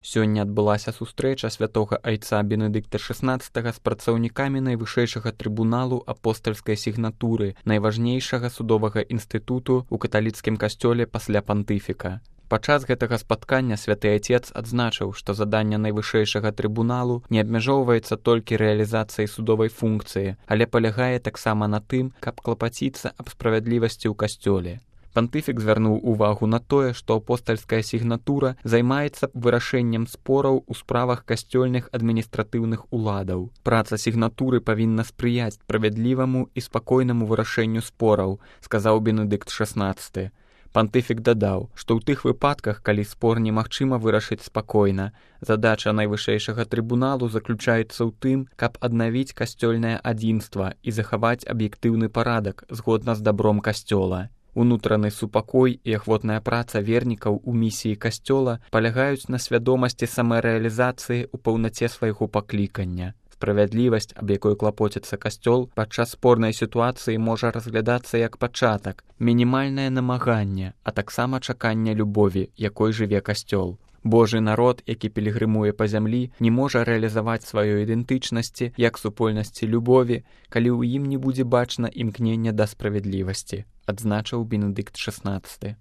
Сёння адбылася сустрэча святога айца Бенедыкта XVI з працаўнікамі найвышэйшага трыбуналу апостальскай сігнатуры, найважнейшага судовага інстытуту ў каталіцкім касцёле пасля пантыфіка. Падчас гэтага спаткання святы айцец адзначыў, што заданне найвышэйшага трыбуналу не абмяжоўваецца толькі рэалізацыяй судовай функцыі, але палягае таксама на тым, каб клапаціцца аб справядлівасці ў касцёле. Пантыфік звярнуў увагу на тое, што апостальская сігнатура займаецца вырашэннем спораў у справах касцёльных адміністратыўных уладаў. Праца сігнатуры павінна спрыяць справядліваму і спакойнаму вырашэнню спораў, сказаў Бенедыкт XVI. Пантыфік дадаў, што ў тых выпадках, калі спор немагчыма вырашыць спакойна, задача найвышэйшага трыбуналу заключаецца ў тым, каб аднавіць касцёльнае адзінства і захаваць аб'ектыўны парадак згодна з дабром касцёла. Унутраны супакой і ахвотная праца вернікаў у місіі касцёла палягаюць на свядомасці самарэалізацыі ў паўнаце свайго паклікання. Справядлівасць, аб якой клапоціцца касцёл, падчас спорнай сітуацыі можа разглядацца як пачатак, мінімальнае намаганне, а таксама чаканне любові, якой жыве касцёл. Божы народ, які пілігрымуе па зямлі, не можа рэалізаваць сваёй ідэнтычнасці як супольнасці любові, калі ў ім не будзе бачна імкнення да справядлівасці, адзначыў Бенедыкт XVI.